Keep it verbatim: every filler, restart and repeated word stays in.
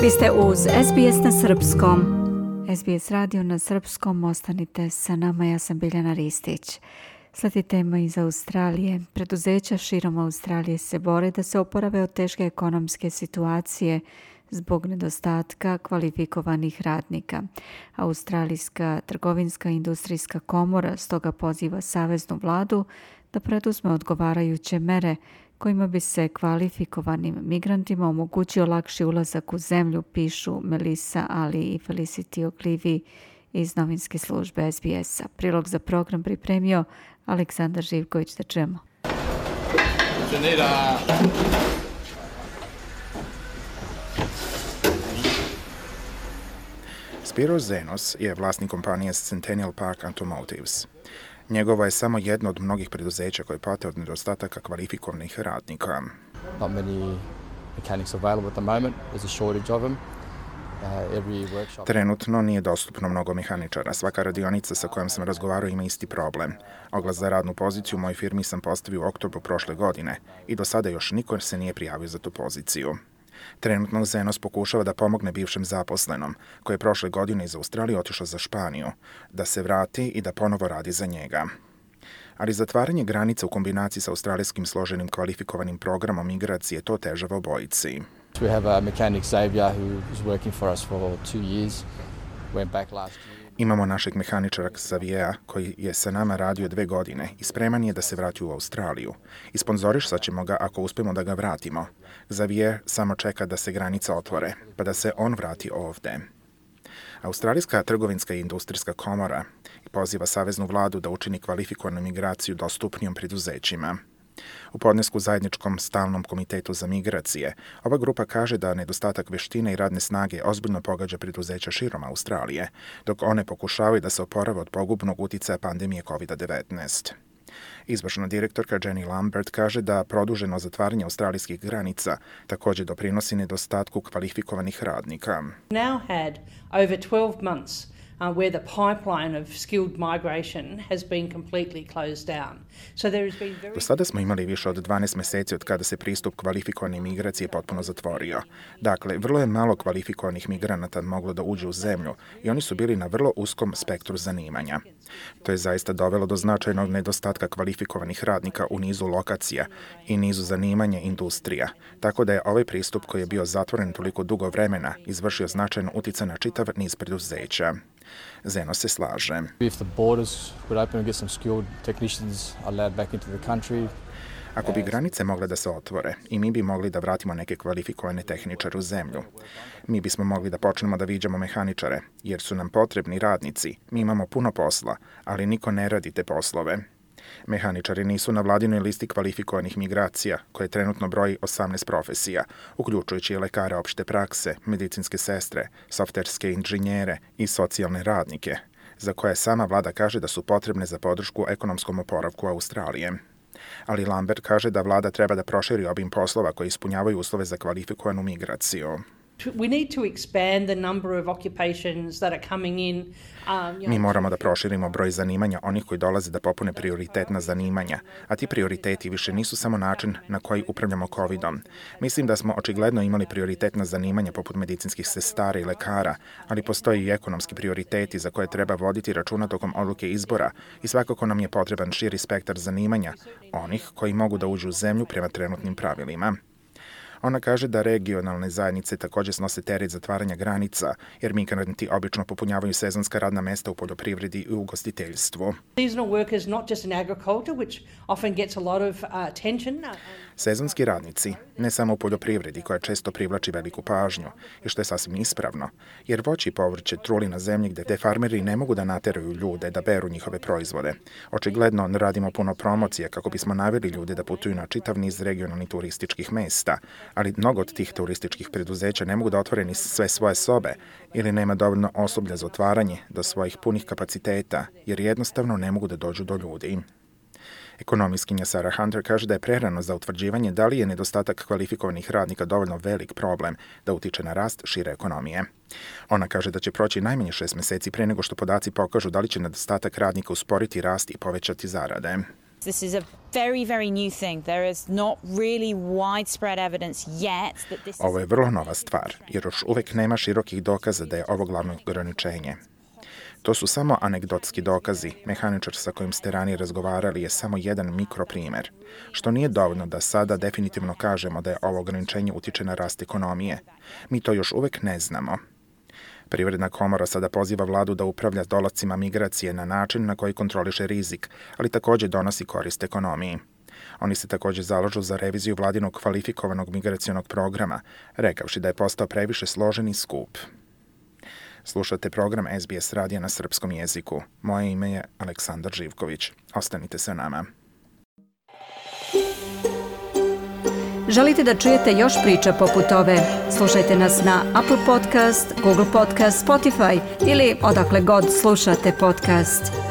Vi ste uz es be es na srpskom. es be es radio na srpskom, ostanite sa nama, ja sam Biljana Ristić. Sledi tema iz Australije. Preduzeća širom Australije se bore da se oporave od teške ekonomske situacije zbog nedostatka kvalifikovanih radnika. Australijska trgovinska i industrijska komora stoga poziva saveznu vladu da preduzme odgovarajuće mere kojima bi se kvalifikovanim migrantima omogućio lakši ulazak u zemlju, pišu Melissa Ali i Felicity Ogilvy iz novinske službe es be es-a. Prilog za program pripremio Aleksandar Živković, da čujemo. Spiro Zenos je vlasnik kompanije Centennial Park Automotives. Njegovo je samo jedno od mnogih preduzeća koje pate od nedostataka kvalifikovanih radnika. Not many mechanics available at the moment. There's a shortage of them. Uh, every workshop... Trenutno nije dostupno mnogo mehaničara. Svaka radionica sa kojom sam razgovarao ima isti problem. Oglas za radnu poziciju u mojoj firmi sam postavio u oktobru prošle godine i do sada još niko se nije prijavio za tu poziciju. Trenutno Zenos pokušava da pomogne bivšem zaposlenom, koji je prošle godine iz Australije otišao za Španiju, da se vrati i da ponovo radi za njega. Ali zatvaranje granica u kombinaciji sa australijskim složenim kvalifikovanim programom migracije to težava obojici. We have a mechanic Xavier who is working for us for two years. Went back last year. Imamo našeg mehaničara Xaviera koji je sa nama radio dve godine i spreman je da se vrati u Australiju. I sponzorišat ćemo ga ako uspemo da ga vratimo. Xavier samo čeka da se granica otvore, pa da se on vrati ovde. Australijska trgovinska i industrijska komora poziva saveznu vladu da učini kvalifikovanu migraciju dostupnijom preduzećima. U podnesku zajedničkom stalnom komitetu za migracije, ova grupa kaže da nedostatak veštine i radne snage ozbiljno pogađa preduzeća širom Australije, dok one pokušavaju da se oporave od pogubnog uticaja pandemije kovid devetnaest. Izvršna direktorka Jenny Lambert kaže da produženo zatvaranje australijskih granica također doprinosi nedostatku kvalifikovanih radnika. Now had over twelve months Uh, where the pipeline of skilled migration has been completely closed down. So there has been very... Do sada smo imali više od dvanaest meseci od kada se pristup kvalifikovane migracije potpuno zatvorio. Dakle, vrlo je malo kvalifikovanih migranata moglo da uđe u zemlju i oni su bili na vrlo uskom spektru zanimanja. To je zaista dovelo do značajnog nedostatka kvalifikovanih radnika u nizu lokacija i nizu zanimanja industrija, tako da je ovaj pristup koji je bio zatvoren toliko dugo vremena izvršio značajan uticaj na čitav niz preduzeća. Zeno se slaže. If the borders would open and get some skilled technicians allowed back into the country. Ako bi granice mogle da se otvore i mi bi mogli da vratimo neke kvalifikovane tehničare u zemlju, mi bismo mogli da počnemo da viđamo mehaničare, jer su nam potrebni radnici. Mi imamo puno posla, ali niko ne radi te poslove. Mehaničari nisu na vladinoj listi kvalifikovanih migracija, koje trenutno broji osamnaest profesija, uključujući lekare opšte prakse, medicinske sestre, softverske inženjere i socijalne radnike, za koje sama vlada kaže da su potrebne za podršku ekonomskom oporavku Australije. Ali Lambert kaže da vlada treba da proširi obim poslova koji ispunjavaju uslove za kvalifikovanu migraciju. We need to expand the number of occupations that are coming in. Um, Mi moramo da proširimo broj zanimanja onih koji dolaze da popune prioritetna zanimanja, a ti prioriteti više nisu samo način na koji upravljamo covidom. Mislim da smo očigledno imali prioritetna zanimanja poput medicinskih sestara i lekara, ali postoji i ekonomski prioriteti za koje treba voditi računa tokom odluke izbora i svakako nam je potreban širi spektar zanimanja, onih koji mogu da uđu u zemlju prema trenutnim pravilima. Ona kaže da regionalne zajednice također snose teret zatvaranja granica, jer migranti obično popunjavaju sezonska radna mesta u poljoprivredi i ugostiteljstvu. Seasonal workers, not just in agriculture, which often gets a lot of uh, attention. Sezonski radnici, ne samo u poljoprivredi koja često privlači veliku pažnju, i što je sasvim ispravno, jer voće i povrće truli na zemlji gde te farmeri ne mogu da nateraju ljude da beru njihove proizvode. Očigledno ne radimo puno promocije kako bismo naveli ljude da putuju na čitav niz regionalnih turističkih mesta, ali mnogo od tih turističkih preduzeća ne mogu da otvore ni sve svoje sobe ili nema dovoljno osoblja za otvaranje do svojih punih kapaciteta, jer jednostavno ne mogu da dođu do ljudi. Ekonomistkinja Sarah Hunter kaže da je prerano za utvrđivanje da li je nedostatak kvalifikovanih radnika dovoljno velik problem da utiče na rast šire ekonomije. Ona kaže da će proći najmanje šest meseci pre nego što podaci pokažu da li će nedostatak radnika usporiti rast i povećati zarade. This is a very, very new thing. There is not really widespread evidence yet that this is... Ovo je vrlo nova stvar, jer još uvek nema širokih dokaza da je ovo glavno ograničenje. To su samo anegdotski dokazi. Mehaničar sa kojim ste ranije razgovarali je samo jedan mikroprimer, što nije dovoljno da sada definitivno kažemo da je ovo ograničenje utiče na rast ekonomije. Mi to još uvek ne znamo. Privredna komora sada poziva vladu da upravlja dolazcima migracije na način na koji kontroliše rizik, ali takođe donosi korist ekonomiji. Oni se takođe zalažu za reviziju vladinog kvalifikovanog migracionog programa, rekavši da je postao previše složen i skup. Slušate program S B S radija na srpskom jeziku. Moje ime je Aleksandar Živković. Ostanite sa nama. Želite da čujete još priča poput ove? Slušajte nas na Apple Podcast, Google Podcast, Spotify ili odakle god slušate podcast.